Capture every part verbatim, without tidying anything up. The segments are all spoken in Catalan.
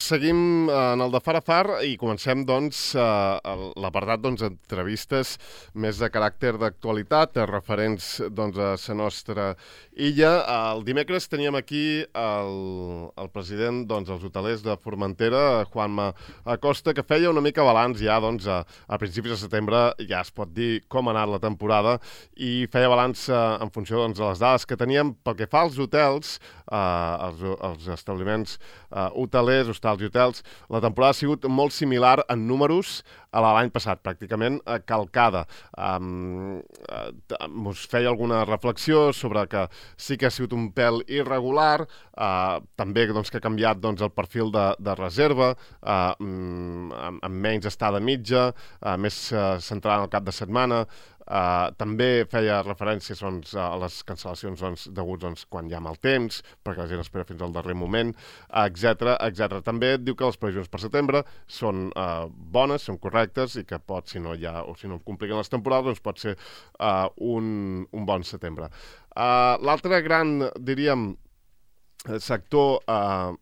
seguim en el de Far a Far i comencem, doncs, l'apartat d'entrevistes més de caràcter d'actualitat, referents, doncs, a la nostra illa. El dimecres teníem aquí el president dels hotelers de Formentera, Juanma Acosta, que feia una mica balanç ja, doncs, a principis de setembre ja es pot dir com ha anat la temporada i feia balanç en funció de les dades que teníem pel que fa als hotels, als establiments hotelers, hostals i hotels. La temporada ha sigut molt similar en números a l'any passat, pràcticament calcada. Us feia alguna reflexió sobre que sí que ha sigut un pèl irregular, també que ha canviat el perfil de reserva, amb menys estada mitja, més centrada en el cap de setmana. També feia referències a les cancel·lacions deguts quan hi ha mal temps, perquè la gent espera fins al darrer moment, etcètera, etcètera. També diu que les previsions per setembre són bones, són correctes i que pot, si no hi ha o si no compliquen les temporades, doncs pot ser un bon setembre. L'altre gran, diríem, sector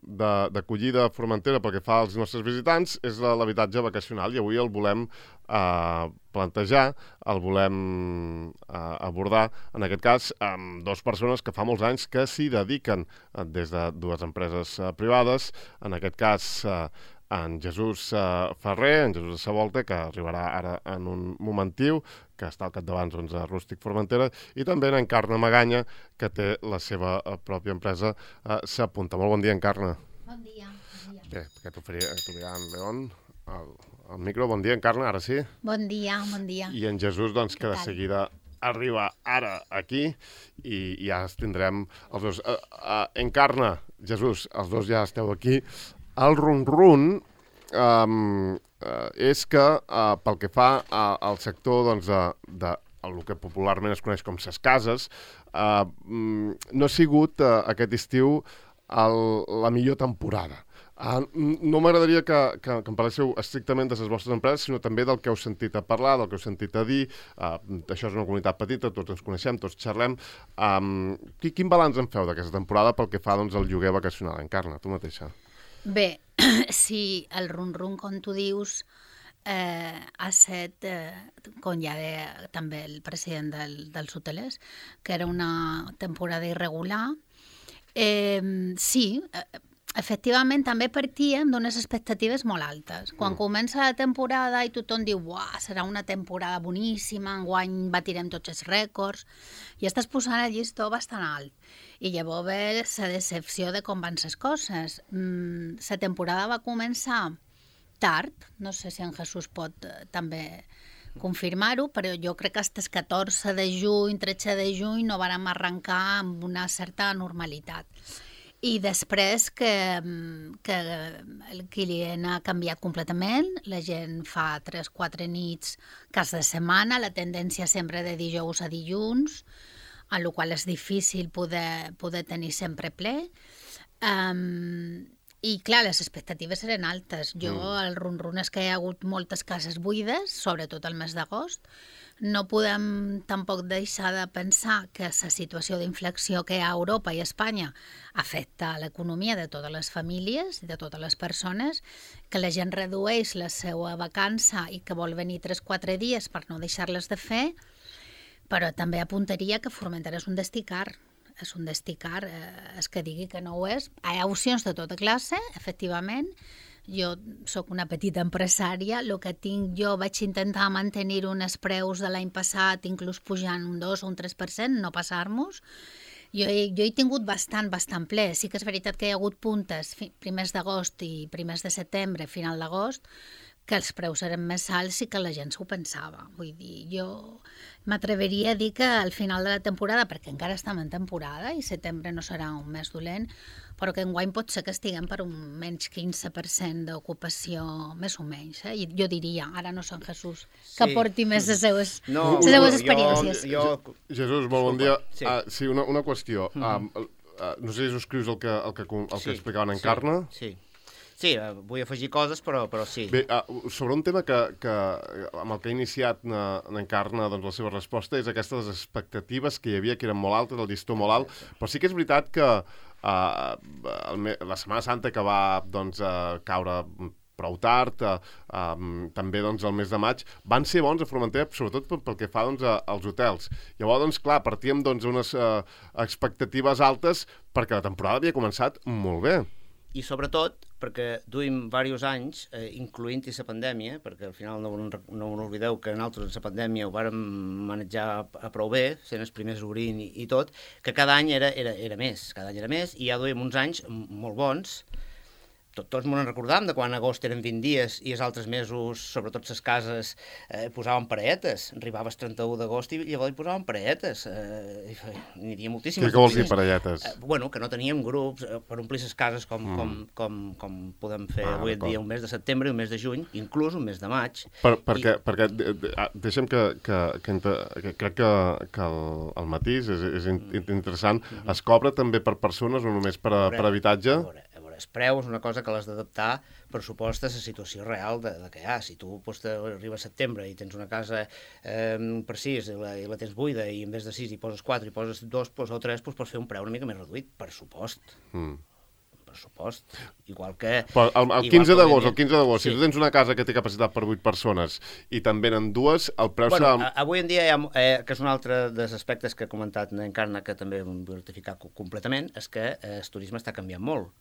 d'acollida a Formentera pel que fa als nostres visitants és l'habitatge vacacional i avui el volem plantejar, el volem abordar, en aquest cas, amb dues persones que fa molts anys que s'hi dediquen des de dues empreses privades, en aquest cas en Jesús Ferrer, en Jesús de Savolta, que arribarà ara en un momentiu, que està al capdavant de Rústic Formentera, i també en Encarna Maganya, que té la seva pròpia empresa S'Apunta. Molt bon dia, Encarna. Bon dia. Bé, que t'oferia en León al micro. Bon dia, Encarna, ara sí. Bon dia, bon dia. I en Jesús, doncs, que de seguida arriba ara aquí i ja els tindrem els dos. Encarna, Jesús, els dos ja esteu aquí. El run-run és que pel que fa al sector de el que popularment es coneix com ses cases, no ha sigut aquest estiu la millor temporada. No m'agradaria que em parléssiu estrictament de les vostres empreses, sinó també del que heu sentit a parlar, del que heu sentit a dir. Això és una comunitat petita, tots ens coneixem, tots xerrem. Quin balanç en feu d'aquesta temporada pel que fa al lloguer vacacional? Encarna, tu mateixa. Bé, sí, el run-run, com tu dius, ha set, com ja deia també el president dels hotelers, que era una temporada irregular. Sí, efectivament, també partíem d'unes expectatives molt altes. Quan comença la temporada i tothom diu «Uah, serà una temporada boníssima, enguany batirem tots els rècords», i estàs posant el llistó bastant alt. I llavors ve la decepció de com van les coses. La temporada va començar tard, no sé si en Jesús pot també confirmar-ho, però jo crec que fins el catorze de juny, tretze de juny no vàrem arrencar amb una certa normalitat. I després que el client ha canviat completament, la gent fa tres o quatre nits cas de setmana, la tendència sempre de dijous a dilluns, en la qual és difícil poder tenir sempre ple. I, clar, les expectatives eren altes. Jo, el run-run és que hi ha hagut moltes cases buides, sobretot el mes d'agost. No podem tampoc deixar de pensar que la situació d'inflexió que hi ha a Europa i a Espanya afecta l'economia de totes les famílies i de totes les persones, que la gent redueix la seva vacança i que vol venir tres o quatre dies per no deixar-les de fer, però també apuntaria que Formentera és un destí car. És un destí car, és que digui que no ho és. Hi ha opcions de tota classe, efectivament. Jo sóc una petita empresària, el que tinc jo vaig intentar mantenir uns preus de l'any passat, inclús pujant un dos o un tres per cent, no passar-nos. Jo he, jo he tingut bastant, bastant ple. Sí que és veritat que hi ha hagut puntes, primers d'agost i primers de setembre, final d'agost, que els preus eren més alts i que la gent s'ho pensava. Vull dir, jo m'atreveria a dir que al final de la temporada, perquè encara estem en temporada i setembre no serà un mes dolent, però que enguany pot ser que estiguem per un menys quinze per cent d'ocupació, més o menys. Eh? I jo diria, ara no sé en Jesús, que sí. Porti més les seues, no, les seues experiències. Jo, jo... Jesús, molt bon dia. Sí, uh, sí una, una qüestió. Mm -hmm. uh, uh, no sé si subscrius el que, el que, el que sí, explicaven en Encarna. Sí, sí. Sí, vull afegir coses, però, però sí. Bé, uh, sobre un tema que, que amb el que ha iniciat n'encarna doncs, la seva resposta és aquestes expectatives que hi havia, que eren molt altes, el llistó molt alt, però sí que és veritat que uh, el, la Setmana Santa que va doncs, uh, caure prou tard, uh, um, també doncs, el mes de maig, van ser bons a Formentera, sobretot pel que fa doncs, a, als hotels. Llavors, doncs, clar, partíem doncs, unes uh, expectatives altes perquè la temporada havia començat molt bé. I sobretot perquè duim diversos anys, eh, incloent-hi la pandèmia, perquè al final no, no oblideu que nosaltres en la pandèmia ho vàrem manejar a prou bé, sent els primers obrint i, i tot, que cada any era, era, era més, cada any era més, i ja duim uns anys molt bons. Tot, tots m'ho recordam de quan a agost eren vint dies i els altres mesos, sobretot les cases, eh, posaven parelletes. Arribaves trenta-u d'agost i llavors hi posaven parelletes. Eh, N'hi havia moltíssimes. Què vols dir, parelletes? Eh, bueno, que no teníem grups eh, per omplir les cases com, mm. com, com, com podem fer ah, avui en dia un mes de setembre i un mes de juny, inclús un mes de maig. Per, perquè, I... perquè de, de, deixa'm que, que, que, que crec que, que el, el matís és, és interessant. Mm -hmm. Es cobra també per persones o només per, veure, per habitatge? A veure, el preu és una cosa que l'has d'adaptar, per supost, a la situació real de, de que hi ha. Si tu pues, arriba a setembre i tens una casa eh, per sis i la, i la tens buida i en vez de sis hi poses quatre i poses dos pues, o tres, pues, pots fer un preu una mica més reduït, per supost. Mm. Per supost. Igual que... Però el, el quinze d'agost, el quinze d'agost, sí. Si tu tens una casa que té capacitat per vuit persones i te'n venen dues, el preu bueno, serà... Avui en dia, hi ha, eh, que és un altre dels aspectes que ha comentat Encarna, que també vull rectificar completament, és que eh, el turisme està canviant molt.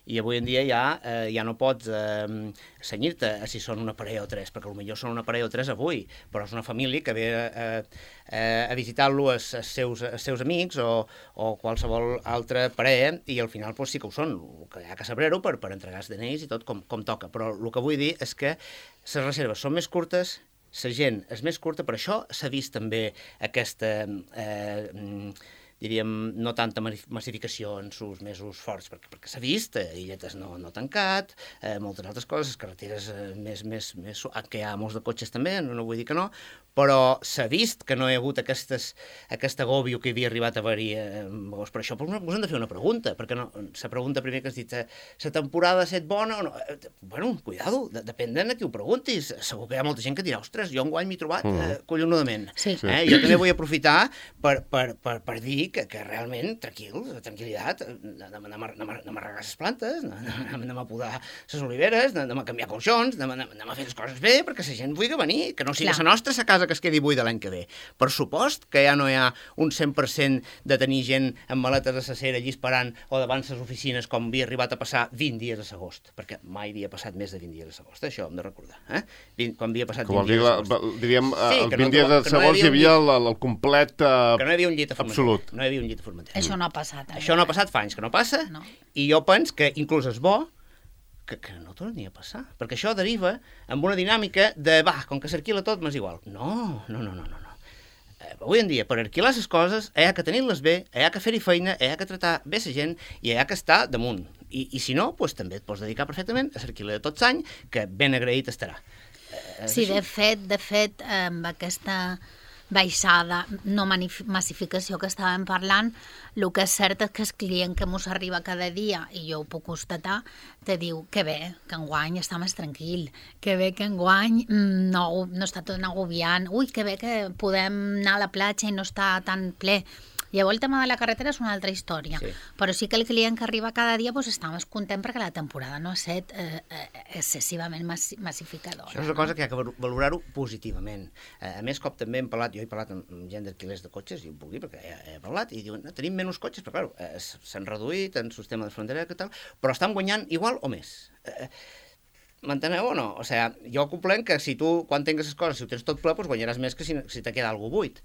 I avui en dia ja, eh, ja no pots eh, senyir-te a si són una parella o tres, perquè potser són una parella o tres avui, però és una família que ve eh, eh, a visitar-lo els, els, seus, els seus amics o, o qualsevol altra parella, i al final pues, sí que ho són, que hi ha que saber-ho per, per entregar els D N Is i tot com, com toca. Però el que vull dir és que les reserves són més curtes, la gent és més curta, per això s'ha vist també aquesta... Eh, diríem, no tanta massificació en sus mesos forts, perquè, perquè s'ha vist, eh, illetes no, no tancat, eh, moltes altres coses, carreteres eh, més, més, més... que hi ha molts de cotxes també, no, no vull dir que no, però s'ha vist que no hi ha hagut aquestes, aquest agòbio que havia arribat a haver-hi. Eh, per això us hem de fer una pregunta, perquè no, la pregunta primer que has dit, la temporada ha estat bona o no? Eh, bueno, cuidado, de, depèn de qui ho preguntis. Segur que hi ha molta gent que dirà, ostres, jo enguany m'he trobat eh, collonudament. Sí. Eh, jo també vull aprofitar per, per, per, per dir que, que realment, tranquil, tranquil·litat, anem, anem, anem, anem a regar les plantes, anem, anem a podar les oliveres, anem a canviar colxons, anem, anem a fer les coses bé, perquè la gent vulgui venir, que no sigui la nostra la casa que es quedi buida l'any que ve. Per supost que ja no hi ha un cent per cent de tenir gent amb maletes a la cera allí esperant o davant les oficines com havia arribat a passar vint dies a l'agost, perquè mai havia passat més de vint dies a l'agost, això hem de recordar. Eh? vint, quan havia passat vint dies a l'agost. Diríem, sí, els vint no, dies a l'agost hi havia el, el complet uh, que no hi havia un llit a absolut. No hi havia un llit a Formentera. Això no ha passat. Eh? Això no ha passat fa anys que no passa, no. I jo penso que inclús és bo que, que no torni a passar, perquè això deriva amb una dinàmica de, va, com que s'arquila tot, m'és igual. No, no, no, no, no. Eh, avui en dia, per arquilar les coses, hi ha que tenir-les bé, hi ha que fer-hi feina, hi ha que tratar bé la gent i hi ha que estar damunt. I, i si no, doncs, també et pots dedicar perfectament a l'alquiler de tots anys, que ben agraït estarà. Eh, sí, de fet, de fet, amb aquesta baixada, no massificació que estàvem parlant, el que és cert és que el client que mos arriba cada dia, i jo ho puc constatar, te diu que bé, que enguany està més tranquil, que bé que enguany no, no està tot agobiant, ui, que bé que podem anar a la platja i no està tan ple. Llavors el tema de la carretera és una altra història, sí. Però sí que el client que arriba cada dia pues, està més content perquè la temporada no ha estat eh, eh, excessivament massificadora. Això és una cosa que hi ha que valorar-ho positivament. Eh, a més, cop també hem parlat, jo he parlat amb gent d'alquilers de cotxes, i ho puc dir perquè he, he parlat, i diuen, no, tenim menys cotxes, però clar, eh, s'han reduït en el sistema de frontera i tal, però estan guanyant igual o més. Eh, M'enteneu o no? O sigui, jo comprenc que si tu, quan tingues les coses, si ho tens tot ple, doncs guanyaràs més que si, si te queda alguna buit.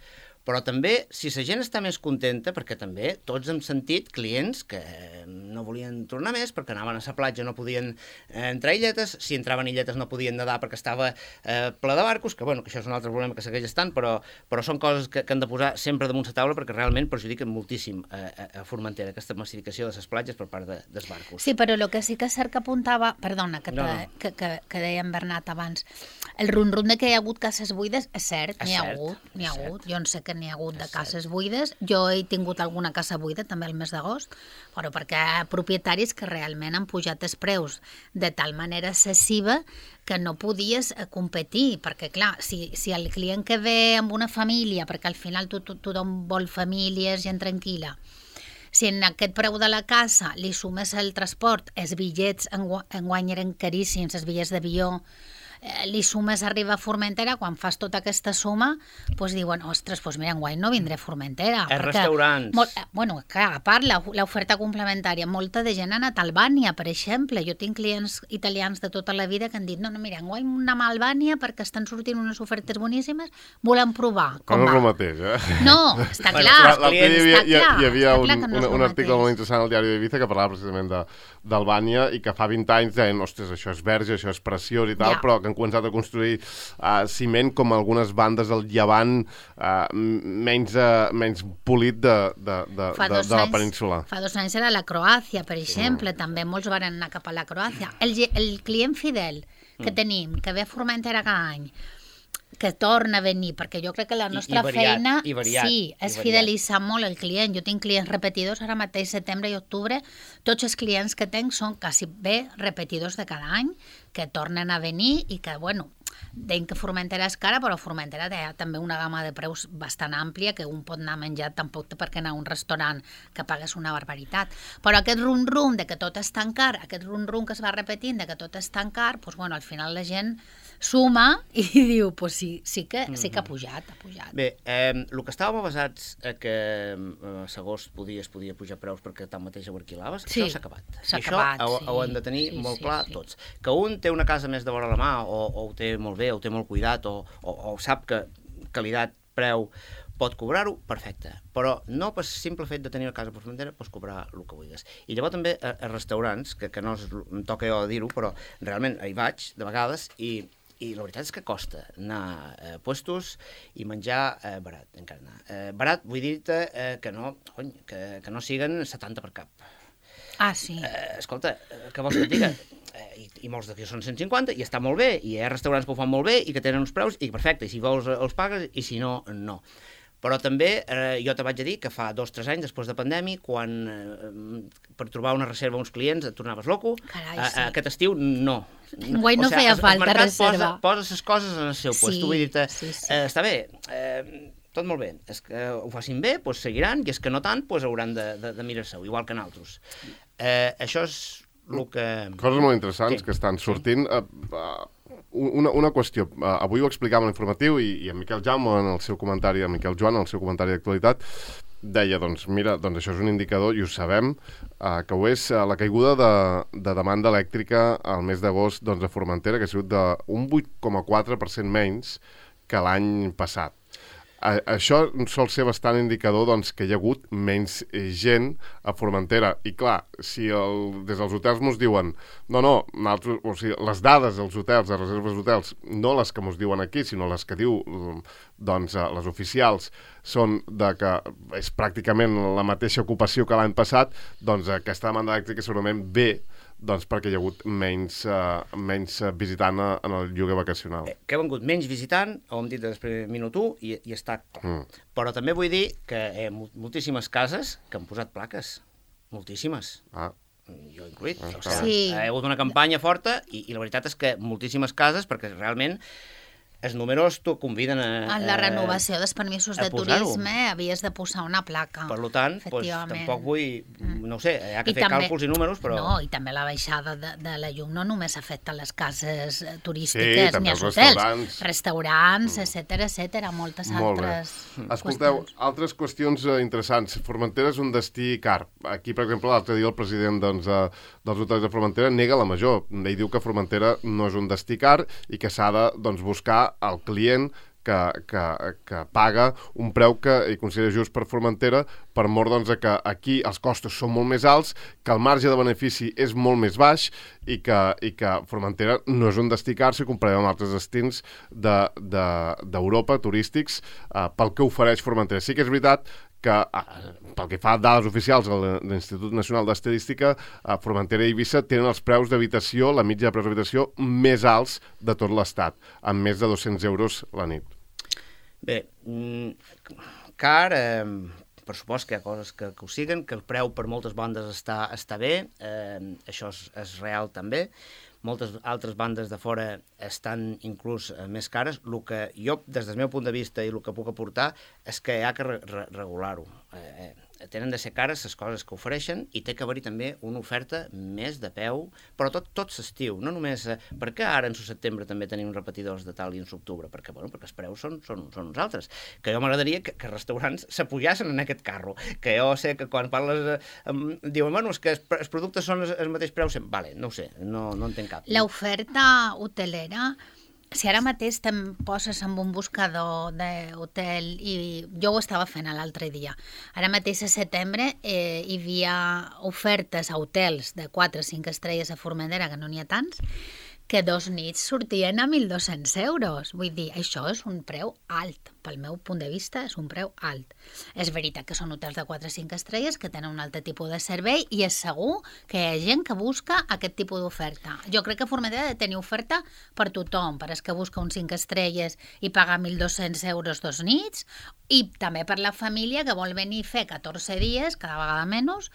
Però també, si la gent està més contenta, perquè també tots hem sentit clients que no volien tornar més perquè anaven a la platja, no podien eh, entrar illetes, si entraven illetes no podien nedar perquè estava eh, ple de barcos, que bueno, que això és un altre problema que segueix estant, però, però són coses que, que han de posar sempre damunt la taula perquè realment perjudiquen moltíssim eh, a Formentera, aquesta massificació de les platges per part de, dels barcos. Sí, però el que sí que és cert que apuntava, perdona, que, te, no, no. que, que, que deia en Bernat abans, el rum-rum de que hi ha hagut cases buides és cert, n'hi ha hagut, n'hi ha hagut, jo en sé que n'hi ha hagut de cases buides. Jo he tingut alguna casa buida també al mes d'agost, però perquè hi ha propietaris que realment han pujat els preus de tal manera excessiva que no podies competir, perquè clar, si, si el client que ve amb una família, perquè al final to, to, tothom vol famílies, gent tranquil·la, si en aquest preu de la casa li sumes el transport, els bitllets enguany eren caríssims, els bitllets d'avió, eh, li sumes arribar a Formentera, quan fas tota aquesta suma, doncs diuen, ostres, doncs mira, enguany no vindré a Formentera. Els restaurants. Molt, bueno, clar, a part, l'oferta complementària, molta de gent ha anat a Albània, per exemple. Jo tinc clients italians de tota la vida que han dit, no, no, mira, enguany anem a Albània perquè estan sortint unes ofertes boníssimes, volem provar. Com no és va? el mateix, eh? No, està clar. L'altre dia hi havia, hi, hi havia un, no un, un article molt interessant al diari d'Ibiza que parlava precisament d'Albània i que fa vint anys deien, ostres, això és verge, això és preciós i tal, ja. Però que han començat a construir uh, ciment com algunes bandes del Llevant uh, menys, uh, menys polit de, de, de, de, de la península. Fa dos anys era la Croàcia, per exemple, sí. També molts van anar cap a la Croàcia. El, el client fidel que mm. tenim, que ve a Formentera cada any, que torna a venir, perquè jo crec que la nostra I, i variat, feina i variat, sí, és fidelitzar molt el client. Jo tinc clients repetidors, ara mateix setembre i octubre, tots els clients que tenc són quasi bé repetidors de cada any, que tornen a venir i que, bueno, deim que Formentera és cara, però Formentera té també una gamma de preus bastant àmplia que un pot anar a menjar, tampoc té per què anar a un restaurant que pagues una barbaritat. Però aquest rum-rum de que tot és tan car, aquest rum-rum que es va repetint de que tot és tan car, doncs, bueno, al final la gent suma i diu, pues sí, sí, que, sí que ha pujat, ha pujat. Bé, eh, el que estàvem basats a que eh, segons podia, es podia pujar preus perquè tanmateix ho alquilaves, sí, això s'ha acabat. S'ha I acabat, això sí, ho, ho hem de tenir sí, molt sí, clar sí. Tots. Que un té una casa més de vora la mà o, o ho té molt bé, o ho té molt cuidat, o, o, o sap que qualitat, preu, pot cobrar-ho, perfecte. Però no per simple fet de tenir la casa per Formentera pots cobrar el que vulguis. I llavors també a, a restaurants, que, que no es, em toca jo dir-ho, però realment hi vaig de vegades i I la veritat és que costa anar a puestos i menjar eh, barat, encara. Eh, barat vull dir-te eh, que, no, cony, que, que no siguen setanta per cap. Ah, sí. Eh, escolta, què vols que et diga? Eh, i, I molts d'aquí són cent cinquanta i està molt bé, i hi ha restaurants que ho fan molt bé i que tenen uns preus, i perfecte, i si vols els pagues, i si no, no. Però també eh, jo te vaig a dir que fa dos o tres anys, després de pandèmia, quan eh, per trobar una reserva a uns clients et tornaves loco, Carai, sí. sí. Aquest estiu no. Enguany no o sigui, feia falta reserva. Posa, posa les coses en el seu sí, lloc. Vull dir-te, sí, sí. eh, està bé, eh, tot molt bé. És que ho facin bé, doncs seguiran, i és que no tant, doncs hauran de, de, de mirar-se-ho, igual que nosaltres. Eh, això és el que... Coses molt interessants sí. que estan sortint. Uh, uh, una, una qüestió. Uh, avui ho explicava en l'informatiu i, i en Miquel Jaume, en el seu comentari, en Miquel Joan, en el seu comentari d'actualitat, deia, doncs, mira, doncs això és un indicador, i ho sabem, uh, que ho és uh, la caiguda de, de demanda elèctrica al mes d'agost doncs, a Formentera, que ha sigut d'un vuit coma quatre per cent menys que l'any passat. A, això sol ser bastant indicador doncs, que hi ha hagut menys gent a Formentera. I clar, si el, des dels hotels mos diuen no, no, nosaltres, o sigui, les dades dels hotels, de reserves d'hotels, no les que mos diuen aquí, sinó les que diu doncs, les oficials, són de que és pràcticament la mateixa ocupació que l'any passat, doncs aquesta demanda elèctrica segurament ve doncs perquè hi ha hagut menys, uh, menys visitant a, en el lloguer vacacional. Eh, que ha vengut menys visitant, ho hem dit després minut u, i, i està clar. Mm. Però també vull dir que hi ha moltíssimes cases que han posat plaques. Moltíssimes. Ah. Jo incluït. Ah, o sigui, sí. Hi ha hagut una campanya forta i, i la veritat és que moltíssimes cases, perquè realment els números t'ho conviden a... En la renovació dels permisos de turisme havies de posar una placa. Per tant, doncs, tampoc vull... No ho sé, hi ha que I fer també, càlculs i números, però... No, i també la baixada de, de la llum no només afecta les cases turístiques sí, ni els hotels. Restaurants, restaurants mm. etcètera, etcètera, moltes Molt altres bé. Escolteu, qüestions. Altres qüestions interessants. Formentera és un destí car. Aquí, per exemple, l'altre dia el president doncs, dels hotels de Formentera nega la major. Ell diu que Formentera no és un destí car i que s'ha de doncs, buscar el client que, que, que paga un preu que hi considera just per Formentera, per mort doncs, que aquí els costos són molt més alts, que el marge de benefici és molt més baix i que, i que Formentera no és un destí car si comparem amb altres destins d'Europa, de, de, turístics, eh, pel que ofereix Formentera. Sí que és veritat que, pel que fa a dades oficials de l'Institut Nacional d'Estadística, Formentera i Eivissa tenen els preus d'habitació, la mitja de preus d'habitació, més alts de tot l'Estat, amb més de dos-cents euros la nit. Bé, car, eh, per supost que hi ha coses que, que ho siguen, que el preu per moltes bandes està, està bé, eh, això és, és real també. Moltes altres bandes de fora estan inclús eh, més cares. El que jo, des del meu punt de vista, i el que puc aportar, és que hi ha que re re regular-ho. Eh, eh, tenen de ser cares les coses que ofereixen i té que haver-hi també una oferta més de peu, però tot, tot s'estiu, no només... Eh, per què ara en setembre també tenim repetidors de tal i en octubre? Perquè, bueno, perquè els preus són, són, són uns altres. Que jo m'agradaria que, que restaurants s'apujassen en aquest carro, que jo sé que quan parles... Eh, diuen, bueno, és que els, els productes són el, el mateix preu sempre. Vale, no ho sé, no, no en tenc cap. L'oferta hotelera, si ara mateix te'n poses amb un buscador d'hotel, i jo ho estava fent l'altre dia, ara mateix a setembre eh, hi havia ofertes a hotels de quatre o cinc estrelles a Formentera, que no n'hi ha tants, que dos nits sortien a mil dos-cents euros. Vull dir, això és un preu alt. Pel meu punt de vista, és un preu alt. És veritat que són hotels de quatre o cinc estrelles que tenen un altre tipus de servei i és segur que hi ha gent que busca aquest tipus d'oferta. Jo crec que Formentera ha de tenir oferta per tothom, per als que busca uns cinc estrelles i pagar mil dos-cents euros dos nits, i també per la família que vol venir a fer catorze dies, cada vegada menys,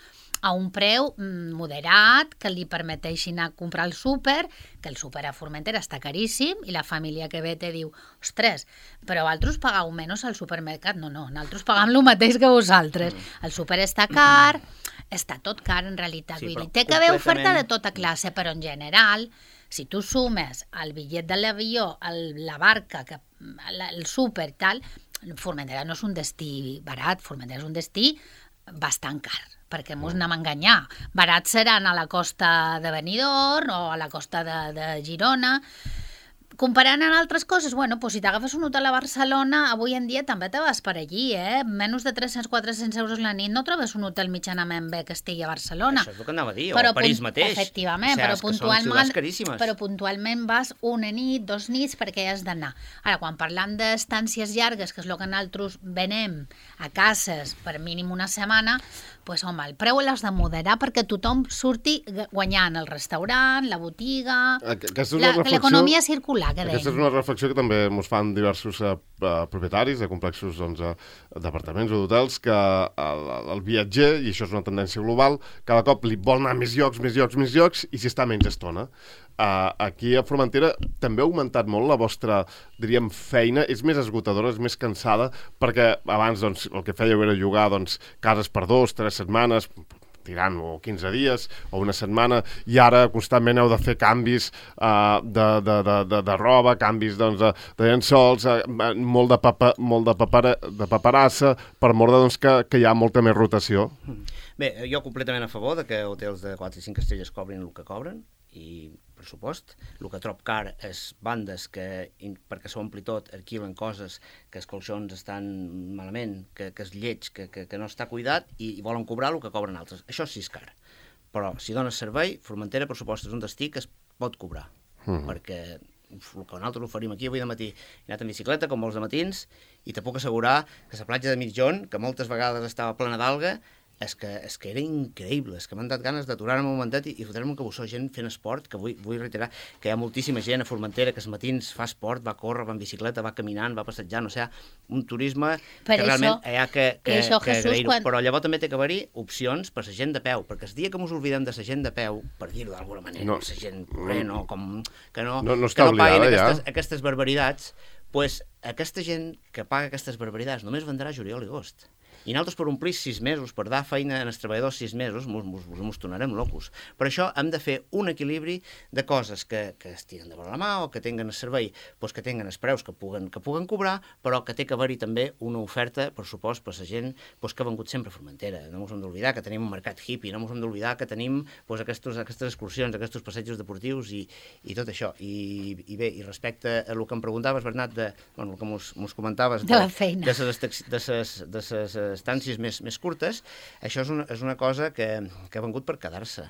a un preu moderat, que li permeteixi anar a comprar el súper, que el súper a Formentera està caríssim, i la família que ve te diu, ostres, però vosaltres pagau menys al supermercat? No, no, nosaltres pagam el mateix que vosaltres. El súper està car, està tot car en realitat. Sí, Vull dir, però té que haver completament- oferta de tota classe, però en general, si tu sumes el bitllet de l'avió, el- la barca, que, la- el súper i tal, Formentera no és un destí barat, Formentera és un destí bastant car, perquè mos anem a enganyar. Barats seran a la costa de Benidorm o a la costa de, de Girona. Comparant amb altres coses, bueno, pues si t'agafes un hotel a Barcelona, avui en dia també te vas per allí, eh? Menys de tres-cents a quatre-cents euros la nit no trobes un hotel mitjanament bé que estigui a Barcelona. Això és el que anava a dir, o Però a París punt- mateix. Efectivament, O sigui, però, és que són puntualment, ciutats caríssimes. però puntualment vas una nit, dos nits, perquè has d'anar. Ara, quan parlam d'estàncies llargues, que és el que nosaltres venem a cases per mínim una setmana, pues, home, el preu l'has de moderar perquè tothom surti guanyant el restaurant, la botiga, Aquesta és una la- reflexió- l'economia circular, que Aquesta és deim. una reflexió que també ens fan diversos eh, eh, propietaris de complexos doncs, eh, d'apartaments o d'hotels, que el, el viatger, i això és una tendència global, cada cop li vol anar a més llocs, més llocs, més llocs, i s'hi està menys estona. Uh, aquí a Formentera també ha augmentat molt la vostra, diríem, feina, és més esgotadora, és més cansada, perquè abans doncs, el que fèieu era llogar doncs, cases per dos, tres setmanes, tirant o quinze dies o una setmana, i ara constantment heu de fer canvis uh, de, de, de, de, de roba, canvis doncs, de, de llençols, uh, molt, de, papa, molt de, papara, de paperassa, per mort de, doncs, que, que hi ha molta més rotació. Bé, jo completament a favor de que hotels de quatre i cinc estrelles cobrin el que cobren, i pressupost. El que trob car és bandes que, perquè s'ompli tot, alquilen coses, que els colxons estan malament, que, que és lleig, que, que, que no està cuidat, i, i volen cobrar el que cobren altres. Això sí és car. Però si dones servei, Formentera, pressupost, és un destí que es pot cobrar. Mm. Perquè uf, el que nosaltres oferim aquí avui de matí, he anat en bicicleta, com molts de matins, i te puc assegurar que la platja de Mitjón, que moltes vegades estava plena d'alga, és que, és que era increïble, és que m'han dat ganes d'aturar-me un momentet i, i fotre-me un cabussó, gent fent esport, que vull, vull reiterar que hi ha moltíssima gent a Formentera que els matins fa esport, va córrer, va en bicicleta, va caminant, va passejant, o sigui, un turisme Per que això- realment hi ha que, que, això, que Jesús, agrair-ho, quan- però llavors també té que haver-hi opcions per la gent de peu, perquè el dia que ens oblidem de la gent de peu, per dir-ho d'alguna manera, No. no. la gent corrent, o com, que no, No- no que està no paguen oblidada, ja. aquestes, aquestes barbaritats, pues, aquesta gent que paga aquestes barbaritats només vendrà juliol i agost. I nosaltres per omplir sis mesos, per dar feina als treballadors sis mesos, mos, mos, mos tornarem locos. Per això hem de fer un equilibri de coses que, que es tiren de la mà o que tinguen el servei, doncs que tinguen els preus que puguen, que puguen cobrar, però que té que haver-hi també una oferta, per supost, per la gent doncs, que ha vengut sempre a Formentera. No ens hem d'oblidar que tenim un mercat hippie, no ens hem d'oblidar que tenim doncs, aquestos, aquestes excursions, aquests passejos deportius i, i tot això. I, I bé, i respecte a el que em preguntaves, Bernat, de, bueno, el que mos, mos comentaves De la feina. de ses, de ses, de ses estàncies més, més curtes, això és una, és una cosa que, que ha vengut per quedar-se.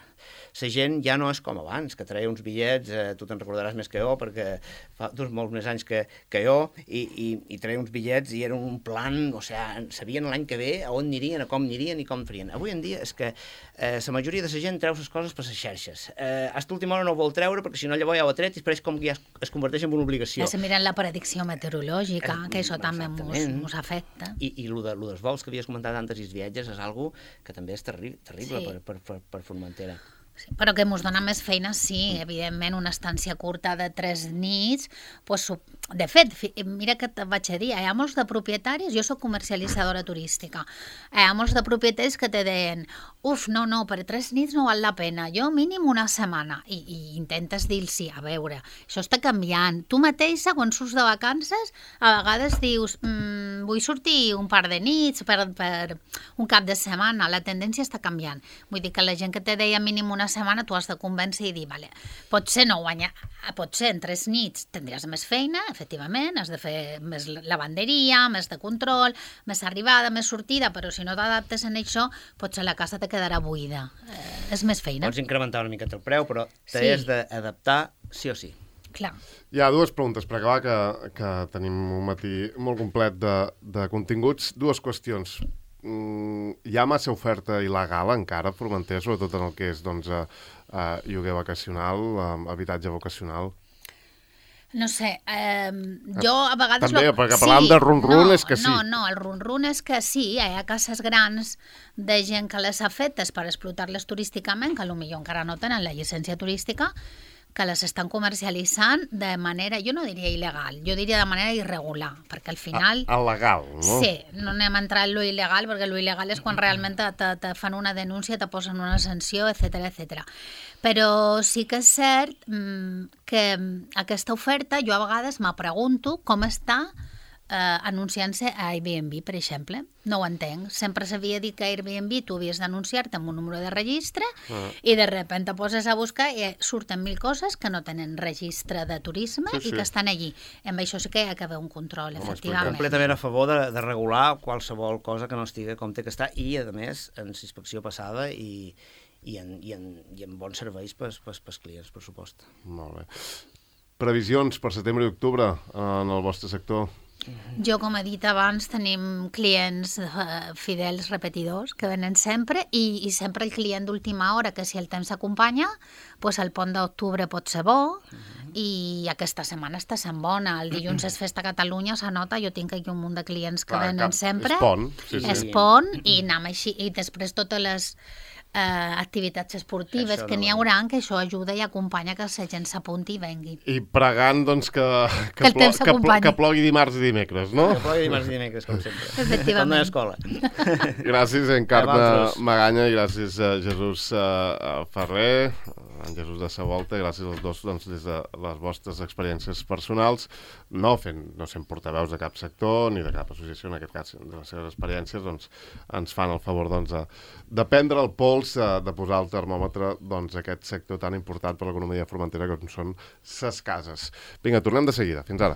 La gent ja no és com abans, que treia uns bitllets, eh, tu te'n recordaràs més que jo, perquè fa doncs, molts més anys que, que jo, i, i, i treia uns bitllets i era un plan, o sigui, sabien l'any que ve a on anirien, a com anirien i com farien. Avui en dia és que eh, la majoria de la gent treu les coses per les xarxes. Eh, a l'última hora no ho vol treure perquè si no llavors ja ho ha tret i després com que ja es, es converteix en una obligació. Ja se miren la predicció meteorològica, eh, que això també ens afecta. I, i el de, dels vols que havies comentat antes i els viatges és algo que també és terri terrible sí. per, per, per, per Formentera. Sí, però que ens dona més feina, sí, evidentment, una estància curta de tres nits, pues, de fet, mira que et vaig a dir, hi ha molts de propietaris, jo soc comercialitzadora turística, hi ha molts de propietaris que te deien, uf, no, no, per tres nits no val la pena, jo mínim una setmana, i, i intentes dir-los, a veure, això està canviant, tu mateixa, quan surts de vacances, a vegades dius, mmm, vull sortir un par de nits per, per un cap de setmana, la tendència està canviant, vull dir que la gent que te deia mínim una setmana tu has de convèncer i dir, vale, potser no guanyar, potser en tres nits tindràs més feina, efectivament, has de fer més lavanderia, més de control, més arribada, més sortida, però si no t'adaptes en això, potser la casa te quedarà buida. Eh, és més feina. Pots incrementar una miqueta el preu, però t'has sí. d'adaptar sí o sí. Clar. Hi ha dues preguntes per acabar, que, que tenim un matí molt complet de, de continguts. Dues qüestions. Mm, hi ha massa oferta il·legal encara a Formentera, sobretot en el que és doncs, uh, uh, lloguer vacacional, uh, habitatge vacacional? No sé, eh, jo a vegades... També, lo... perquè parlant sí, de run-run no, és que sí. No, no, el run-run és que sí, hi ha cases grans de gent que les ha fetes per explotar-les turísticament, que potser encara no tenen la llicència turística, que les estan comercialitzant de manera, jo no diria il·legal, jo diria de manera irregular, perquè al final... A, legal, no? Sí, no anem a entrar en lo il·legal, perquè lo il·legal és quan realment te, te, te fan una denúncia, te posen una sanció, etcètera, etcètera. Però sí que és cert mmm, que aquesta oferta, jo a vegades me pregunto com està eh, anunciant-se a Airbnb, per exemple. No ho entenc. Sempre s'havia dit que a Airbnb tu havies d'anunciar-te amb un número de registre ah. i de sobte te poses a buscar i surten mil coses que no tenen registre de turisme sí, sí. i que estan allí. Amb això sí que hi ha que haver un control, no, efectivament. Completament a favor de, de regular qualsevol cosa que no estigui com té que estar i, a més, en inspecció passada i, i, en, i, en, i en bons serveis pels, pels, pels clients, per supost. Molt bé. Previsions per setembre i octubre en el vostre sector? Jo, com he dit abans, tenim clients uh, fidels repetidors que venen sempre i, i sempre el client d'última hora, que si el temps s'acompanya, pues el pont d'octubre pot ser bo uh-huh. i aquesta setmana està sent bona. El dilluns és festa a Catalunya, s'anota, jo tinc aquí un munt de clients que Clar, venen cap, sempre. És pont. Sí, sí. És pont i anem així. I després totes les Uh, activitats esportives, això que n'hi no haurà, que això ajuda i acompanya que la gent s'apunti i vengui. I pregant, doncs, que, que, que, plo, que, plo, que plogui dimarts i dimecres, no? Que plogui dimarts i dimecres, com sempre. Efectivament. Com a escola. Gràcies, Encarna Maganya, i gràcies a Jesús uh, Ferrer, en Jesús de Savolta, gràcies als dos doncs, des de les vostres experiències personals, no fent, no sent portaveus de cap sector ni de cap associació, en aquest cas, de les seves experiències, doncs, ens fan el favor doncs, de, de prendre el pols, de posar el termòmetre doncs, aquest sector tan important per l'economia formentera com són ses cases. Vinga, tornem de seguida. Fins ara.